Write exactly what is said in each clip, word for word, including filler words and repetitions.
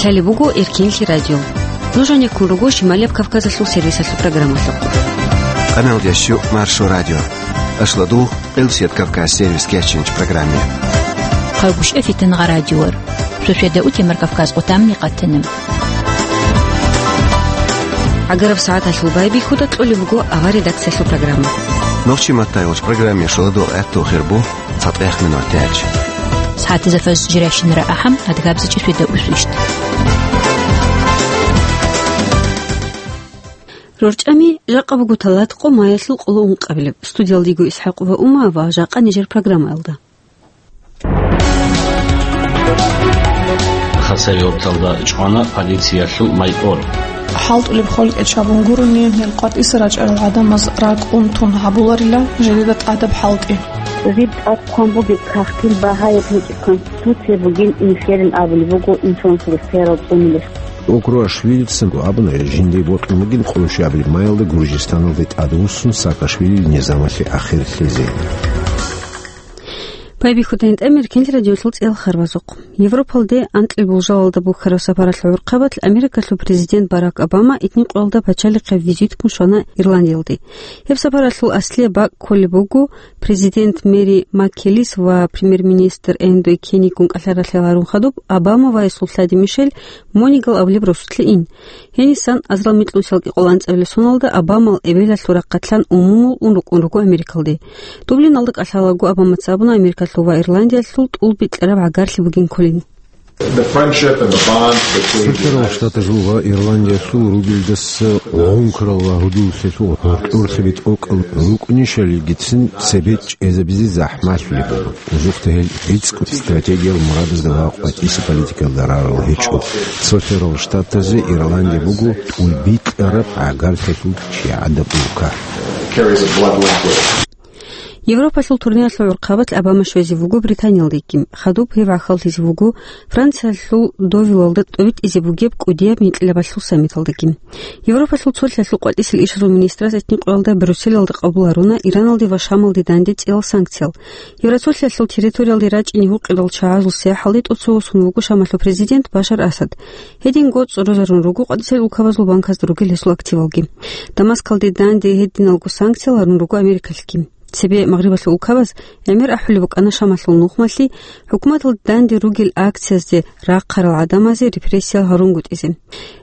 Лъалеб буго Эркенлъи радио. Нуж гьанеккун руго Шималияб Кавказалъул сервисалъул программалъухъ. Къаналдящу Маршо радио. Ашладул Къилсият Кавказ сервис кечинч программе. Хъагушев Фитангъа радиор. Шошеда утемар Кавказ къутамни къатанам. ГӀагараб сагӀаталъул байбихьуда кьолеб буго авар редакциялъул программа. Нохчи маттай уч программе шоладул гӀатту хирбу. ЦатӀехъ минутач. СагӀатизафаз жирашинара ахӀам, адгабзичи шведа усвишт. РорчӀами, жакъа буго талат къо маялъул къоло ункъабилеб. Студиялдиго ИсхӀакъ ва Ума ва жакъа нижер программаялда. Хасавюрталда чӀвана полициялъул майор. ХӀалтӀулеб хвалкӀи чабун гурони, гьел къватӀиса рачӀарал гӀадамаз ракӀ унтун гьабуларила жидеда тӀадаб хӀалтӀи. Жиб тӀад хъван бугеб кагътил багьаяб гьечӀеб конституция бугин инсерин абулеб буго инсанасул рехсеялъул цӀунилес. Окруашвилицин абуна, жиндие бокьун бугин къоло щибабилеб маялда Гуржистаналде тӀадвуссун Саакашвилил низамалъе ахир лъезе. Байбихьуда гьитӀамир Эркенлъи радиолъул цӀеял харбазухъ. Европалде анкьил булжалалда бухьараб сапаралъул гӀурхъабалъ Америкалъул президент Барак Обама итни къоялда пачалихъе визитккун щвана Ирландиялде. Гьеб сапаралъул аслияб бакӀ кколеб буго, президент Мэри МакКеллис ва премьер-министр Эндрю Кенигун кӀалъаралъе гьарун хадуб, Обама ва гьесул лъади Мишель Монигал абулеб росулъе ин. Гьенисан азарал микьнусиялги къоло анцӀабилеб соналда Обамал эбелалъул рахъалъан умумул ун рукӀун руго Америкалде. Дублиналда кӀалъалаго Обамаца абуна Америкалъул ва Ирландиялъул тӀул бикьараб гӀагарлъи бугин кколин. The friendship and the bond between the Цо-цо Штатазул ва Ирландиялъул ругелдаса гъункарал ва гьудуллъиялъул гьоркьорлъи битӀокӀал рукӀунищалилгицин цебе чӀезабизе захӀмалъулеб буго. Жухъде гьел рицӀкӀун стратегиял мурадазда ва къватӀиса политикаялда рарал гьечӀо. Цо-цо Штатазе Ирландия буго тӀул бикьараб гӀагарлъиялъул чагӀазаб улка. Carries a blood liquid. Европалъул турниялъул гӀурхъабалъ Обама щвезе вуго Британиялдеги. Хадуб гьев гӀахьаллъизе вуго Франциялъул Довилалда тӀобитӀизе бугеб кӀудияб микьилабалъул саммиталдаги. Европалъул цолъиялъул къватӀисел ишазул министраз итни къоялда Брюсселалда къабул гьаруна Ираналде ва Шамалде данде цӀиял санкциял. Евроцолъиялъул территориялде рачӀине гьукъидал чагӀазул сияхӀалде тӀоцевосун вуго Шамалъул президент Башар Асад. Гьединго цӀорозарун руго къватӀисел улкабазул банкасда ругел гьесул активалги. Дамаскалде данде гьединалго санкциял гьарун руго Америкалъги. Цебе Магърибалъул улкабаз гӀемер ахӀулеб букӀана Шамалъул нухмалъи хӀукуматалде данде ругел акциязде рахъарал гӀадамазе репрессиял гьарунгутӀизе.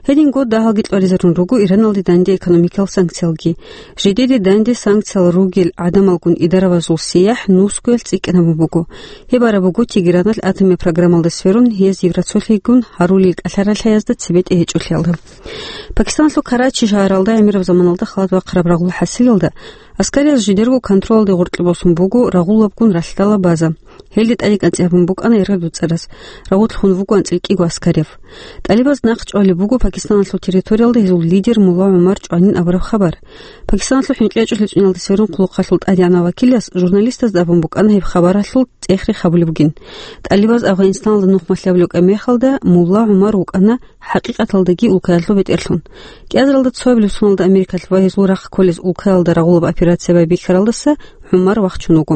Гьединго дагьалги кьваризарун руго Ираналде данде экономикиял санкциялги. Жидеде данде санкциял ругел гӀадамалгун идаравазул сияхӀ нусгоялъ цӀикӀкӀинабун буго. Гьеб араб буго Тегераналъ атомияб программалда сверун, гьез Евроцолъигун гьарулел кӀалъаралъаязда цебетӀе гьечӀолъиялда. Пакистаналъул Карачи шагьаралда гӀемераб заманалда халат бахъараб рагъул хӀасилалда, аскарияз жидерго контролалде гъоркье босун буго рагъулабгун ралъдала база. Гьелде тӀадекӀанцӀи гьабун букӀана Эргъеб дуцӀарас. Рагъулъ хун вуго анцӀила кӀиго аскарияв. ТӀалибаз нахъ чӀвалеб буго Пакистаналъул территориялда гьезул лидер Мулла ГӀумар чӀванин абураб хабар. Пакистаналъул хӀинкъи гьечӀолъи цӀуналда сверун хъулухъалъул тӀадегӀанав вакилас журналистазда абун букӀана гьеб хабаралъул цӀех-рех гьабулеб бугин. ТӀалибаз Афгъанистаналда нухмалъ абулеб мехалда Мулла ГӀумар вукӀана хӀакъикъаталдаги улкаялъул бетӀерлъун. КӀиазаралда цоабилеб соналда Америкалъ ва гьезул рахъ кколез улкаялда рагъулаб операция байбихьаралдаса ГӀумар вахчун вуго.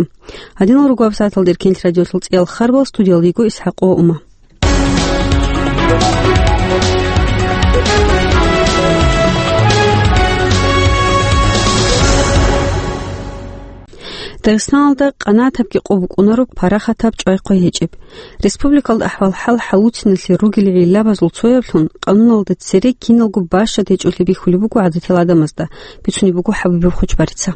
Гьадинал руго гьабсагӀаталда Эркенлъи радиолъул цӀеял харбал, студиялда йиго ИсхӀакъ ва Ума. Дагъистаналда къанагӀатабги къо букӀунареб парахатаб чӀвай-хъвай гьечӀеб. Республикалда ахӀвал-хӀал хӀалуциналъе ругел гӀиллабазул цояблъун къануналда цере киналго бащад гьечӀолъи бихьулеб буго гӀадатиял гӀадамазда, бицунеб буго ХӀабибов Хучбарица.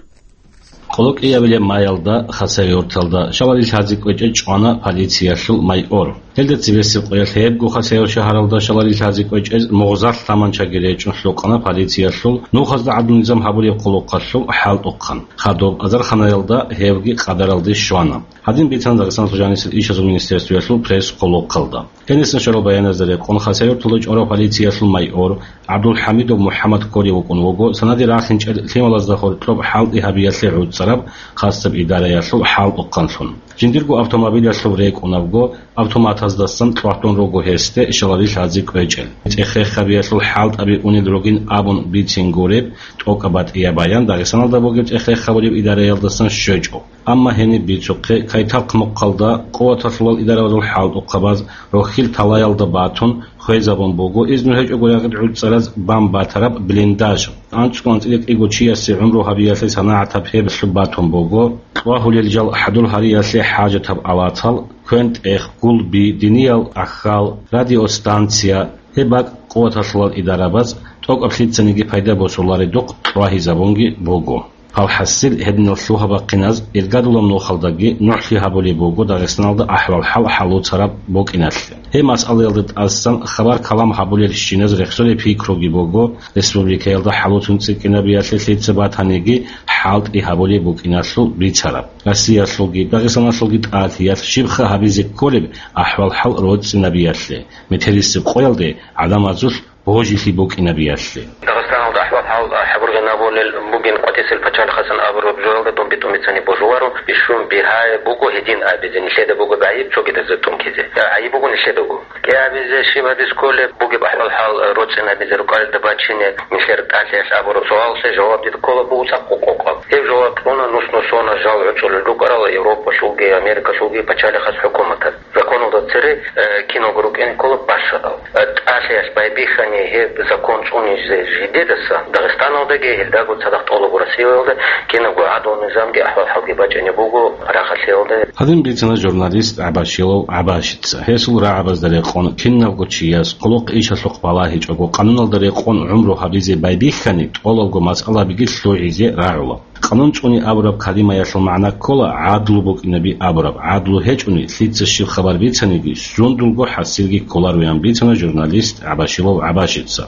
Къоло кӀиабилеб маялда Хасавюрталда шаларил лъазе кӀвечӀей чӀвана полициялъул майор. Гьелда цебесеб къоялъ гьебго Хасавюрт шагьаралда шаларил лъазе кӀвечӀез мугъзалъ таманчаги речӀун лъукъана полициялъул нухазда гӀадлу-низам гьабулеб хъулухъалъул хӀалтӀухъан. Хадуб азарханаялда гьевги къадаралде щвана. Гьадин бицана Дагъистаналъул жанисел ишазул министерствоялъул пресс-хъулухъалда. Гьенисан щварал баяназда рекъон, Хасавюрталда чӀварав полициялъул майор ГӀабдулхӀамидов МухӀаммад кколев вукӀун вуго, санаде рахинчӀел лъималазда гьоркьоб хӀалтӀи гьабиялъе гӀуцӀараб хасаб идараялъул хӀалтӀухъанлъун. Жиндирго автомобилялъул рекӀунабго, автоматаздасан кьватун руго гьесде шаларил лъазе кӀвечӀел. ЦӀех-рех гьабиялъул хӀалтӀаби унел ругин абун бицин гуреб тӀокӀаб батӀияб баян Дагъистаналда бугеб цӀех-рех гьабулеб идараялдасан щвечӀо. Амма гьениб бицухъе, Кайтахъ мухъалда къуваталъулал идарабазул хӀалтӀухъабаз рохьил талаялда батун, хвезабун буго изну гьечӀого рагъид гӀуцӀараз бан батараб блиндаж. АнцӀго-анцӀила кӀиго чиясе гӀумру гьабиялъе санагӀатаб гьеб лъуб батун буго, кьвагьулел жал хӀадур гьариялъе хӀажатаб аватал, квен-тӀех, гулби, диниял ахӀал, радиостанция, гьеб бакӀ къуваталъулал идарабаз тӀокӀаб лъицаниги пайда босуларедухъ кьвагьизабунги буго. Палхасил гьединал лъугьа-бахъиназ иргадулаб нухалдаги нугӀлъи гьабулеб буго Дагъистаналда ахӀвал-хӀал хӀалуцараб букӀиналъе. Гьеб масъалаялда тӀасан хабар-калам гьабулел щиназ рехсолеб пикруги буго, республикаялда хӀалуцун цӀикӀкӀинабиялъе лъица батаниги хӀалтӀи гьабулеб букӀиналъул бицараб. Россиялъулги Дагъистаналъулги тӀалъиялъ щибха гьабизе кколеб ахӀвал-хӀал роцӀцӀинабиялъе, метерисеб къоялде гӀадамазулъ божилъи букӀинабиялъе. Дагъистаналда ахӀвал-хӀал хӀабургъинабулел бугин къватӀисел пачалихъасан абураб жоялда дун битӀун бицани божуларо, бищун бигьаяб буго гьедин абизе, нилъеда буго гӀайиб цогидазда тӀункизе. ГӀайиб буго нилъедаго. КӀиабизе щиб гьабиз кколеб бугеб ахӀвал-хӀал роцӀцӀинабизе рукӀалда бачине нилъер тӀалъиялъ абураб суалалъе жаваб дида ккола буго цӀакъ къокъаб. Гьеб жаваб кьуна нус-нусона жал гӀуцӀулел рукӀарал Европалъулги Америкалъулги пачалихъас хӀукуматаз. Законалда цере, э, киналго рукӀине ккола бащадал. Э, тӀалъиялъ байбихьани гьеб закон цӀунизе жидедаса, Дагъистаналдаги гьелдаго цадахъ тӀолабго Россиялда кинабго гӀадал низамги ахӀвал-хӀалги бачӀине буго рагъалъиялда. Гьадин бицана журналист ГӀабашилов ГӀабашица. Гьесул рагӀабазда рекъон кинабго чияс хъулухъ-ишалъухъ балагьичӀого къануналда рекъон гӀумру гьабизе байбихьани тӀолабго масъалабиги лъугӀизе рагӀула. Къанун цӀуни абураб калимаялъул магӀна ккола гӀадлу букӀинаби абураб. ГӀадлу гьечӀони, лъица щиб хабар бицаниги, сундулго хӀасилги кколароян бицана журналист ГӀабашилов ГӀабашица.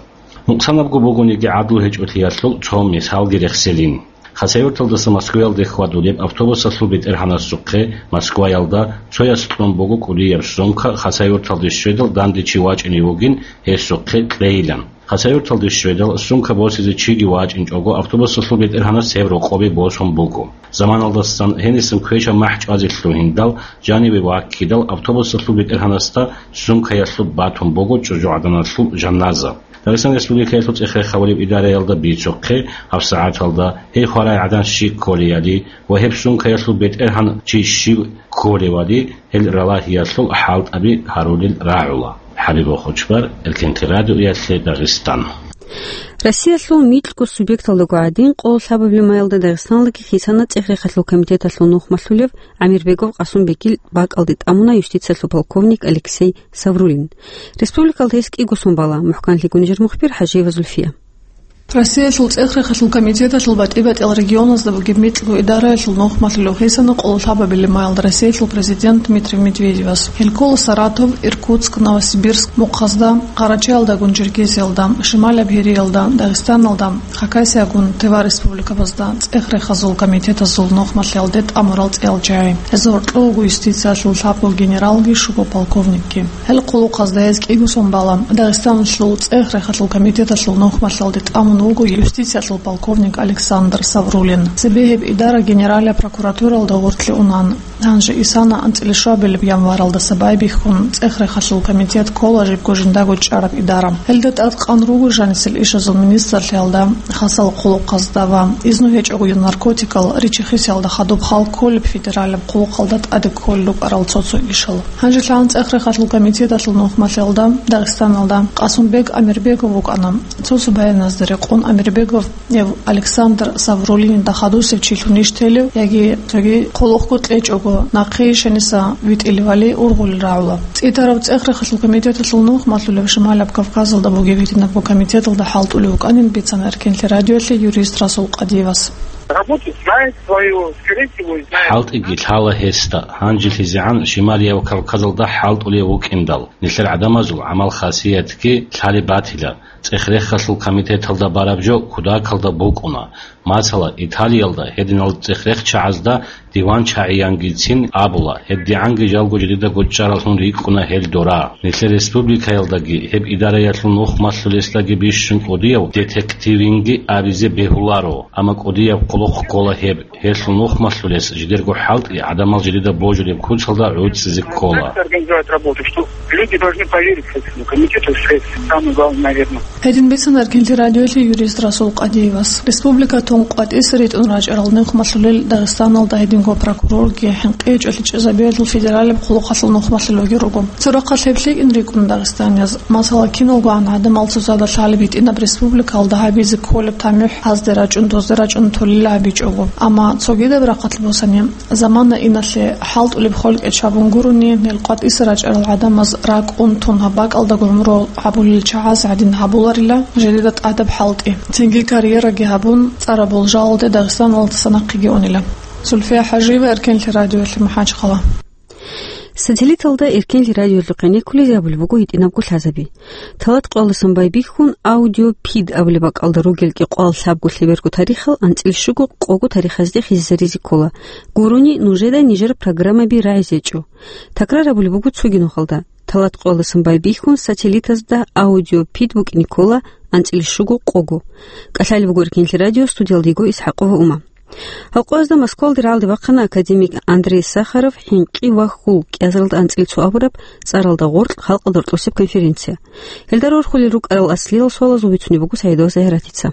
Нукъсанабго бугониги гӀадлу гьечӀолъиялъул цо мисалги рехселин. Хасавюрталдаса Москваялде хьвадулеб автобусалъул бетӀергьанасухъе Москваялда цояс кьун буго кӀудияб сумка, Хасавюрталде щведал данде чи вачӀине вугин гьесухъе кьейилан. Хасавюрталде щведал, сумка босизе чиги вачӀинчӀого, автобусалъул бетӀергьанас гьеб рокъобе босун буго. Заманалдасан гьенисан квешаб махӀ чӀвазе лъугьиндал, жаниве ваккидал, автобусалъул бетӀергьанасда сумкаялъуб батун буго чӀужугӀаданалъул жаназа. Дагъистан Республикаялъул цӀех-рех гьабулеб идараялда бицухъе, гьабсагӀаталда гьей хварай гӀадан щиб кколеяли ва гьеб сумкаялъул бетӀергьан чи щив кколевали, гьел ралагьиялъул хӀалтӀаби гьарулел рагӀула. ХӀабибул Хучбар, Эркенти радиоялъе Дагъистан. Россиялъул микьго субъекталдаго гӀадин, къоло лъабабилеб маялда Дагъистаналдаги хисана цӀех-рехалъул комитеталъул нухмалъулев Амирбегов Къасумбегил бакӀалде тӀамуна юстициялъул полковник Алексей Саврулин. Республикалда гьес кӀиго сон бала. МухӀканлъи гунижер мухбир ХӀажиева Зульфия. Россиялъул цӀех-рехалъул комитеталъул батӀи-батӀиял регионазда бугеб микьго идараялъул нухмалъулев хисана къоло лъабабилеб маялда Россиялъул президент Дмитрий Медведевас. Гьел ккола Саратов, Иркутск, Новосибирск мухъазда, Къарачаялдагун Черкесиялда, Шималаб Гьериялда, Дагъистаналда, Хакасиягун Тыва республикабазда цӀех-рехазул комитетазул нухмалъиялде тӀамурал цӀеял чагӀи. Гьезул гьоркьов вуго юстициялъул лъабго генералги щуго полковникги. Гьел къулухъазда гьез кӀиго сон бала. Дагъистаналъул цӀех-рехалъул комитеталъул нухмалъиялде тӀамун вуго юстициялъул полковник Александр Саврулин. Цебе гьеб идара Генералияб прокуратуралда гъорлъе унан. Гьанже исана анцӀила щуабилеб январалдаса байбихьун, цӀех-рехалъул комитет ккола жибго жиндаго чӀараб идара. Гьелда тӀадкъан руго жанисел ишазул министрлъиялда, хасал къулухъазда ва изну гьечӀого наркотикал ричи-хисиялда хадуб хал кколеб федералияб къулухъалда тӀаде кколел рукӀарал цо-цо ишал. Гьанже лъалан цӀех-рехалъул комитеталъул нухмалъиялда Дагъистаналда Къасумбек Амирбегов вукӀана. Цо-цо баяназда рекъон Амирбегов Гьев Александр Саврулинда хадусев чилъунищ телев яги цоги къулухъго кьечӀого нахъе ишаниса витӀилевали ургъулел рагӀула. ЦӀитараб цӀех-рехалъул комитеталъул нухмалъулев Шималаб Кавказалда бугеб гьединабго комитеталда хӀалтӀулев вукӀанин бицана Эркенлъи радиоялъе юрист Расул Къадиевас. Работу знает свою, скорее всего, и знает. ХӀалтӀиги лъала гьесда, гьанжилъизегӀан Шималияб Кавказалда хӀалтӀулев вукӀиндал, нилъер гӀадамазул гӀамал-хасиятги лъалеб батила. ЦӀех-рехалъул комитеталда бараб жо кутакалда букӀуна. Масала, Италиялда гьединал цӀех-рехчагӀазда диванчагӀиянгицин абула, гьебдигӀанги жалго жидедаго чӀаралъун рикӀкӀуна гьел дора. Нилъер республикаялдаги гьеб идараялъул нухмалъулесдаги бищун кӀудияв детективинги абизе бегьуларо, амма кӀудияб Вохъ ккола гьеб, гьелъул нухмалъулес жидерго хӀалтӀи гӀадамал жидеда божулеб куцалда гӀуцӀизе ккола. Организовать работу, что люди должны поверить Следственному комитету, что это самое главное, наверное. Гьедин бицана Эркенлъи радиоялъе юрист Расул Къадиевас. Республикатун къватӀиса ритӀун рачӀарал нухмалъулел Дагъистаналда гьединго прокурорги, хӀинкъи гьечӀолъи чӀезабиялъул федералияб хъулухъалъул нухмалъулелги руго. Цо рахъалъ гьеб лъикӀин рикӀкӀуна дагъистанияз. Масала, киналгогӀан гӀадамал цоцазда лъалеб гьитӀинаб республикалда гьабизе кколеб тамихӀ гьазде рачӀун, дозде рачӀун толила гьабичӀого. Амма цогидаб рахъалъ босани, замана иналъе хӀалтӀулеб хвалкӀечӀ гьабун гурони, гьел къватӀиса рачӀарал гӀадамаз ракӀун тун гьаб бакӀалда гӀумру гьабулел чагӀаз гӀадин гьабуларила жидеда тӀадаб хӀалтӀи. Цинги карьераги гьабун, цӀарабул жалалде Дагъистаналдаса нахъеги унила. Зульфия ХӀажиева, Эркенлъи радиоялъе, МахӀачхъала. Сателлиталда Эркенлъи радиоялъухъе неккулезе абулеб буго гьитӀинабго лъазаби. Талат къоялдасан байбихьун, аудиопид абулеб бакӀалда ругел кӀикъоялда лъабго лъеберго тарихал анцӀил щуго къого тарихазде хисизаризе ккола. Гурони нужеда нижер программаби рагӀизе гьечӀо. Такрар абулеб буго цоги нухалда. Талат къоялдасан байбихьун, сателлитазда аудиопид букӀине ккола анцӀил щуго къого. КӀалъалеб буго Эркенлъи радио, студиялда йиго ИсхӀакъова Ума. Гьал къоязда Москвалде рагӀалде бахъана академик Андрей Сахаров, хӀинкъи ва хьул кӀиазаралда анцӀила цо абураб цӀаралда гъоркь халкъалда рокьосеб конференция. Гьелда рорхулел рукӀарал аслиял суалазул бицунеб буго СагӀидова Загьиратица.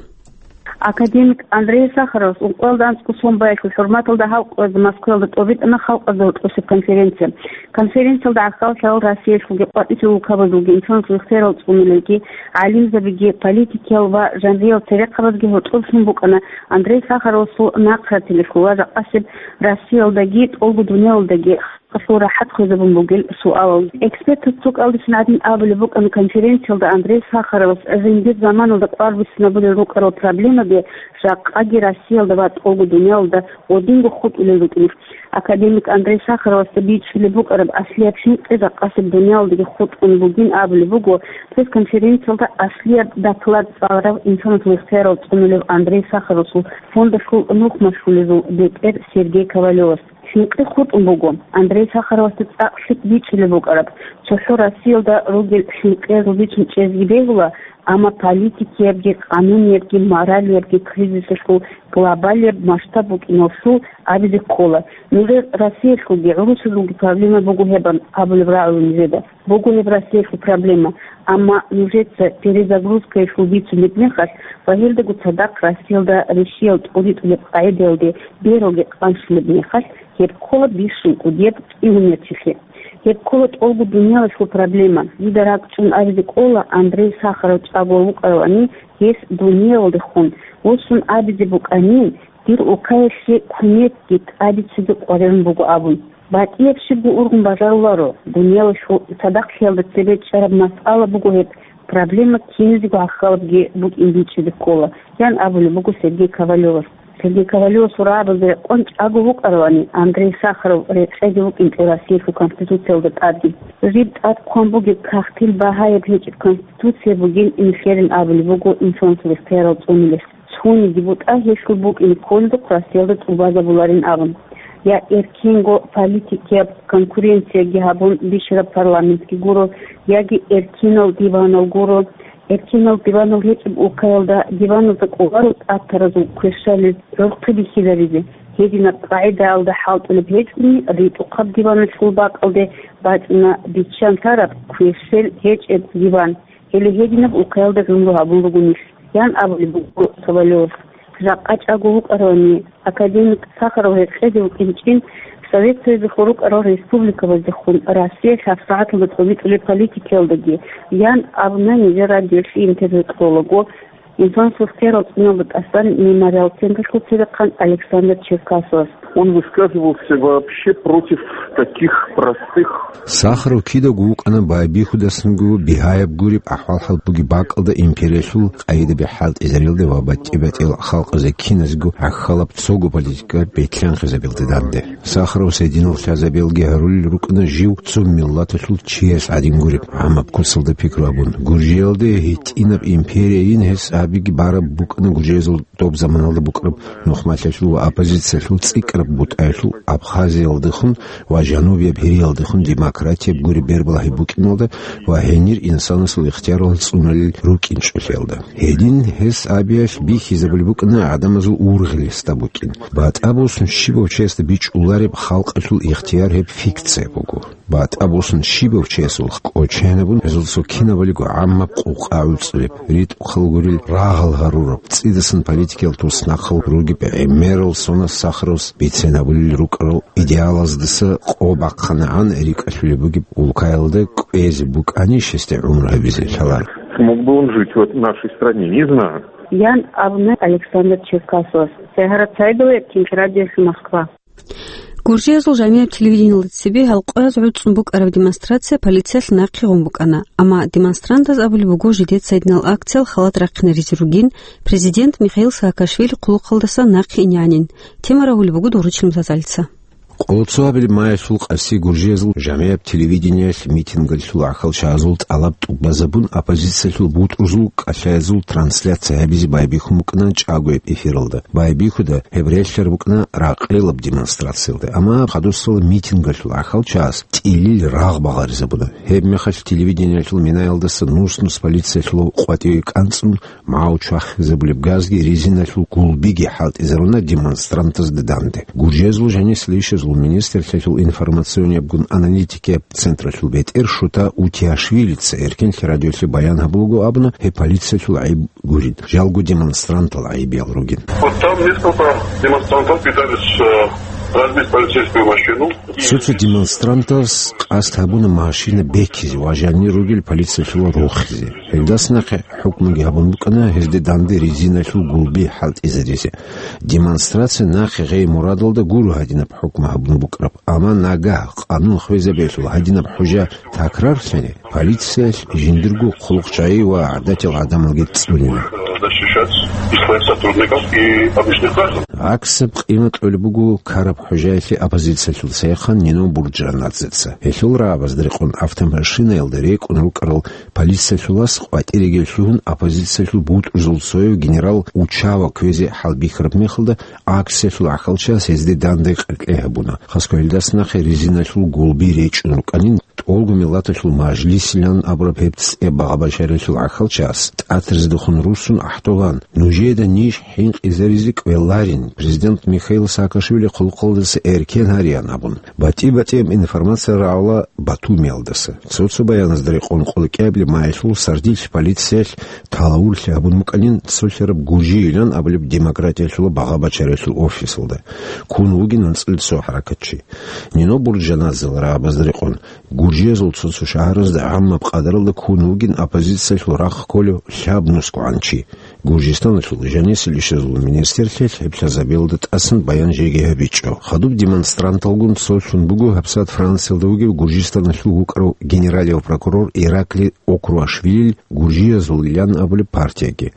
Академик Андрей Сахаровас ункъоялда анцӀго сон баялъул хӀурматалда гьал къоязда Москваялда тӀобитӀана халкъазда рокьосеб конференция. Конференциялда гӀахьаллъарал Россиялъулги къватӀибел улкабазулги инсанасул ихтиярал цӀунулелги, гӀалимзабиги, политикиял ва жанриял церехъабазги гьоркьоб лъун букӀана Андрей Сахаровасул нахъратилелъул ва жакъасеб Россиялдаги тӀолго дуниялалдаги халкъалъул рахӀат хвезабун бугел суалал. Экспертаз цо кӀалдисан гӀадин абулеб букӀана конференциялда Андрей Сахаровас жиндир заманалда къварбицинабулел рукӀарал проблемаби жакъаги Россиялда ва тӀолго дуниялалда гьединго хутӀулел рукӀиналъ. Академик Андрей Сахаровасда бичӀчӀулеб букӀараб аслияб хӀинкъи жакъасеб дуниялалдаги хутӀун бугин абулеб буго пресс-конференциялда аслияб доклад цӀаларав инсанасул ихтиярал цӀунулев Андрей Сахаровасул фондалъул нухмалъулезул бетӀер Сергей Ковалевас. ХӀинкъи хутӀун буго. Андрей Сахаровасда цӀакъ лъикӀ бичӀчӀулеб букӀараб, цохӀо Россиялда ругел хӀинкъиязул бицун чӀезги бегьула, амма политикиябги, къануниябги, моралиябги кризисалъул глобалияб масштаб букӀиналъул абизе ккола. Нужер Россиялъулги гӀурусазулги проблема буго гьебан абулеб рагӀула нижеда. Буго гьеб Россиялъул проблема, амма нужеца перезагрузкаялъул бицунеб мехалъ ва гьелдаго цадахъ Россиялда рищиял тӀуритӀулеб къагӀидаялде бералги къанщулеб мехалъ, гьеб ккола бищун кӀудияб кӀиунерчилъи. Гьеб ккола тӀолго дуниялалъул проблема. Дида ракӀчӀун абизе кӀола, Андрей Сахаров чӀаго вукӀаравани, гьес дуниялалдехун восун абизе букӀанин, дир улкаялъе кумекги тӀадицаги къваригӀун буго абун. БатӀияб щибго ургъун бажаруларо, дуниялалъул цадахълъиялда цебе чӀараб масъала буго гьеб, проблема киназего гӀахьалабги букӀин бичӀчӀизе ккола, ян абулеб буго Сергей Ковалевас. Сергей Ковалевасул рагӀабазда рекъон чӀаго вукӀаравани, Андрей Сахаров рекъезе вукӀинчӀо Россиялъул Конституциялда тӀадги. Жиб тӀад ккван бугеб кагътил багьаяб гьечӀеб Конституция бугин инхерин абулеб буго инсанасул ихтиярал цӀунулес. Цониги бутӀа гьелъул букӀине кколдухъ Россиялда тӀубазабуларин абун. Я эркенго политикияб конкуренцияги гьабун бищараб парламентги гуро, яги эркинал диванал гуро. Эркинал диванал гьечӀеб улкаялда диваналда кӀоларо тӀатаразул кверщалил гӀурхъи бихьизабизе. Гьединаб къагӀидаялда хӀалтӀулеб гьечӀони, ритӀухъаб диваналъул бакӀалде бачӀуна биччан лъараб кверщел гьечӀеб диван. Гьеле гьединаб улкаялда гӀумру гьабун руго нилъ, ян абулеб буго Ковалевас. Жакъа чӀаго вукӀаравани, академик Сахаров рекъезе вукӀинчӀин Совет Союзалъул рукӀарал республикабаздехун Россиялъ гьабсагӀаталда тӀобитӀулеб политикаялдаги, ян абуна нижер радиоялъе интервью кьолаго инсанасул ихтиярал цӀунулда тӀасан Мемориал централъул церехъан Александр Черкасовас. Он высказывался вообще против таких простых. Сахаров кидаго вукӀана байбихьудасанго бигьаяб гуреб ахӀвал-хӀал бугеб бакӀалда империялъул къагӀидаби хӀалтӀизарилда ва батӀи-батӀиял халкъазда киназго гӀахьалаб цого политика бетлъанхъизабилда данде. Сахаровас гьединал лъазабиялги гьарулел рукӀана жив цо миллаталъул чияс гӀадин гуреб, гӀамаб куцалда пикру абун. Гуржиялде гьитӀинаб империяйин гьес абиги бараб букӀана гуржиязул доб заманалда букӀараб нухмалъиялъул ва оппозициялъул цӀикӀкӀараб бутӀаялъул Абхазиялдехун ва жанубияб Гьириялдехун демократияб гуреб бербалагьи букӀиналда ва гьенир инсанасул ихтиярал цӀуналел рукӀинчӀолъиялда. Гьедин гьес абиялъ бихьизабулеб букӀана гӀадамазул ургъел гьесда букӀин. БатӀа босун щибав чиясда бичӀчӀулареб халкъалъул ихтияр гьеб фикция буго. БатӀа босун щибав чиясул кӀоченабун гьезул цо кинабалиго гӀаммаб къукъа гӀуцӀулеб, ритӀухъал гурел рагъал гьарураб, цӀидасан политикиял туснахъал ругеб гӀемерал сонас Сахаровас бицен гьабулел рукӀарал идеалаздаса къо бахъанагӀан рикӀкӀалъулеб бугеб улкаялда кӀвезе букӀанищ гьесде гӀумру гьабизе лъаларо. Смог бы он жить в эт-, нашей стране? Не знаю. Ян абуна Александр Черкасовас. Сагьарат Саидова, Кенкрадиялъул Москва. Гуржиязул жамияб телевидениялда цебе гьал къояз гӀуцӀун букӀараб демонстрация полициялъ нахъе гъун букӀана, амма демонстрантаз абулеб буго жидеца гьединал акциял халат рахъинаризе ругин, президент Михаил Саакашвили хъулухъалдаса нахъе инегӀанин. Тема рагьулеб буго Доручил Мутазалица. Къоло цо абилеб маялъул къаси Гуржиязул жамияб телевидениялъ митингалъул гӀахьалчагӀазул тӀалаб тӀубазабун, оппозициялъул бутӀрузул кӀалъаязул трансляция гьабизе байбихьун букӀана чӀагояб эфиралда. Байбихьуда гьеб релълъараб букӀана ракъелаб демонстрациялда, амма хадусал митингалъул гӀахьалчагӀаз тӀилил рагъ багъаризабуна. Гьеб мехалъ телевидениялъул минаялдаса нус-нус полициялъул къватӀиве кӀанцӀун, магӀу чвахизабулеб газги резиналъул гулбиги хӀалтӀизаруна демонстрантазда данде. Гуржиязул жанисел ишазул министрлъиялъул информациониябгун аналитикияб централъул бетӀер Шута Утиашвилица Эркенлъи радиолъе баян гьабулаго абуна гьеб полициялъул гӀайиб гурин, жалго демонстрантал гӀайибиял ругин. Вот там несколько демонстрантов пытались, э, разбить полицейскую машину. Цо-цо демонстрантас къасд гьабуна машина бекизе ва жанир ругел полициялъул рохизе. Гьелдас нахъе хӀукмуги гьабун букӀана гьезде данде резиналъул гулби хӀалтӀизаризе. Демонстрация нахъе гъей мурадалда гуро гьадинаб хӀукму гьабун букӀараб, амма нагагь къанун хвезабиялъул гьадинаб хӀужа такрарлъани, полициялъ жиндирго хъулухъчагӀи ва гӀадатиял гӀадамалги цӀунила. Защищать и своих сотрудников, и обычных граждан. ГӀаксаб къимат кьолеб буго ккараб хӀужаялъе оппозициялъул цайхъан Нино Бурджанадзеца. Гьелъул рагӀабазда рекъон автомашинаялда рекӀун рукӀарал полициялъулас къватӀиреги лъугьун, оппозициялъул бутӀрузул цояв генерал Учава кквезе хӀалбихьараб мехалда, акциялъул гӀахьалчагӀаз гьезде данде къеркьей гьабуна. Хасго гьелдас нахъе резиналъул гулби речӀчӀун рукӀанин, ТӀолго миллаталъул мажлисилан абураб гьеб цӀеб багъа-бачаралъул гӀахьалчагӀаз, ТӀатразидехун руссун ахӀдолан, нужеда ниж хӀинкъизаризе кӀвеларин, президент Михаил Саакашвили хъулухъалдаса эркен гьареян абун, батӀи-батӀияб информация рагӀула Батумиялдаса. Цо-цо баяназда рекъон къоло кӀиабилеб маялъул сардилъ полициялъ талавурлъи гьабун букӀанин цолъараб Гуржиилан абулеб демократиялъула багъа-бачаралъул офисалда. Ккун вугин анцӀила цо хӀаракатчи. Нино Бурджанадзел рагӀабазда рекъон, Гуржиязул цо-цо шагьаразда гӀаммаб къадаралда ккун вугин оппозициялъул рахъ кколев лъабнусгогӀан чи. Гуржистаналъул жанисел ишазул министрлъиялъ гьеб лъазабиялда тӀасан баян жеги гьабичӀо. Хадуб демонстранталгун цолъун буго гьабсагӀат Франциялда вугев Гуржистаналъул вукӀарав генералияв прокурор Ираклий Окруашвилил Гуржиязулилан абулеб партияги.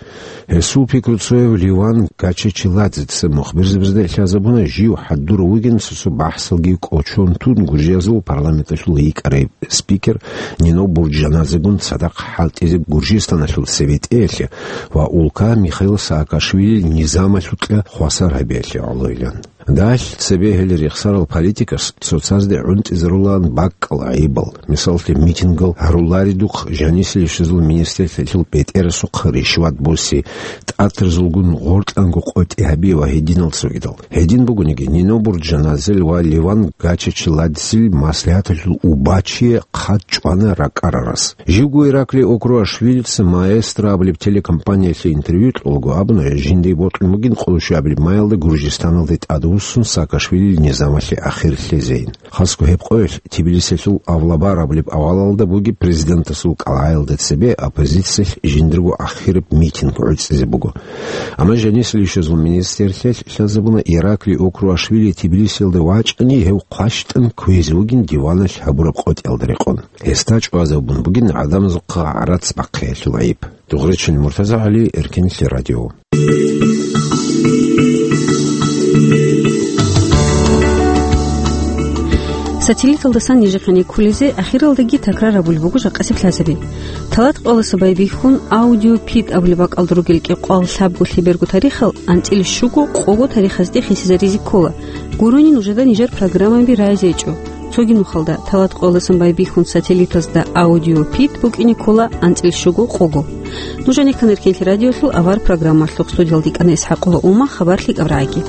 Гьесул пикруцояв Ливан Гачечиладзеца мухбирзабазда лъазабуна, жив хӀадур вугин цо-цо бахӀсалги кӀочон тун Гуржиязул парламенталъул йикӀарай спикер Нино Бурджанадзегун цадахъ хӀалтӀизе Гуржистаналъул цебетӀеялъе ва улка Михаил Саакашвилил низамалъукьа хвасар гьабиялъе гӀолойилан. Далъ цебе гьел рехсарал политикас цоцазде гӀунтӀизарулаан бакӀал гӀайибал, мисаллъи, митингал гьаруларидухъ жанисел ишазул министрлъиялъул бетӀерасухъ ришват буси, тӀатразулгун гъоркьанго къотӀи гьаби ва гьединал цогидал. Гьедин бугониги, Нино Бурджанадзел ва Ливан Гачечиладзел маслигӀаталъул убачие хъат чӀвана ракӀарарас. Живго Ираклий Окруашвилица «Маэстро» абулеб телекомпаниялъе интервью кьолаго абуна, жиндие бокьун бугин къоло щуабилеб маялда Гуржистаналде тӀадвуссун Саакашвилил низамалъе ахир лъезейин. Хасго гьеб къоялъ Тбилисиялъул Авлабар абулеб авалалда бугеб президентасул кӀалгӀаялда цебе оппозициялъ жиндирго ахираб митинг гӀуцӀизе буго. Амма жанисел ишазул министрлъиялъ лъазабуна Ираклий Окруашвили Тбилисиялда вачӀани гьев хъващтӀан кквезе вугин диваналъ гьабураб къотӀиялда рекъон. Гьесда чӀвазабун бугин гӀадамазухъа гӀарац бахъиялъул гӀайиб. Дугъричун Муртазагьали, Эркенлъи радио. Сателлиталдасан нижехъе кколезе ахиралдаги такрар гьабулеб буго жакъасеб лъазаби. Талат къоялдаса байбихьун аудиопид абулеб бакӀалда ругел кӀикъоялда лъабго лъеберго тарихал анцӀила щуго къого тарихазде хисизаризе ккола. Гурони нужеда нижер программаби рагӀизе гьечӀо. Цоги нухалда талат къоялдасан байбихьун сателлитазда аудиопид букӀине ккола анцӀила щуго къого. Нуж гьанир кканаркинлъи радиолъул авар программалъухъ, студиялда йикӀана ИсхӀакъула Ума, хабар лъикӀаб рагӀиги.